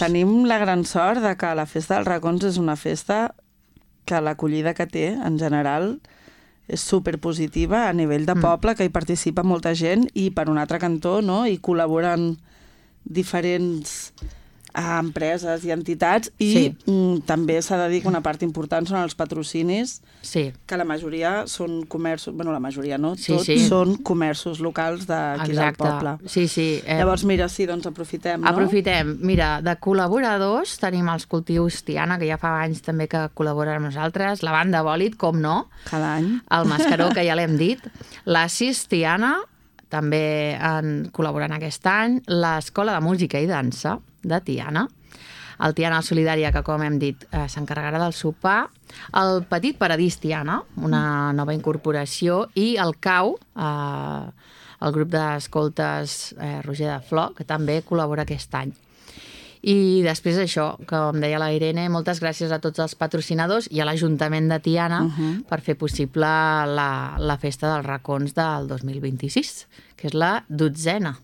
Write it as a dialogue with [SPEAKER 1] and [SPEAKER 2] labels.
[SPEAKER 1] Tenim la gran sort de que la Festa dels Racons és una festa que l'acollida que té, en general, és superpositiva a nivell de poble, que hi participa molta gent, i per un altre cantó, no?, hi col·laboren diferents empreses i entitats, i també s'ha de dir que una part important són els patrocinis, que la majoria són comerços, bueno, la majoria no, tots són comerços locals d'aquí del poble. Llavors, mira, sí, doncs aprofitem, no?
[SPEAKER 2] Aprofitem. Mira, de col·laboradors tenim els cultius Tiana, que ja fa anys també que col·laboren amb nosaltres, la banda Bòlit, com no?
[SPEAKER 1] Cada any.
[SPEAKER 2] El Mascaró, que ja l'hem dit, l'Assis Tiana, també col·laborant aquest any, l'Escola de Música i Dansa de Tiana, el Tiana Solidària, que com hem dit s'encarregarà del sopar, el Petit Paradís Tiana, una nova incorporació, i el CAU, el grup d'escoltes Roger de Flor, que també col·labora aquest any. I després això, com deia la Irene, moltes gràcies a tots els patrocinadors i a l'Ajuntament de Tiana per fer possible la Festa dels Racons del 2026, que és la 12ª.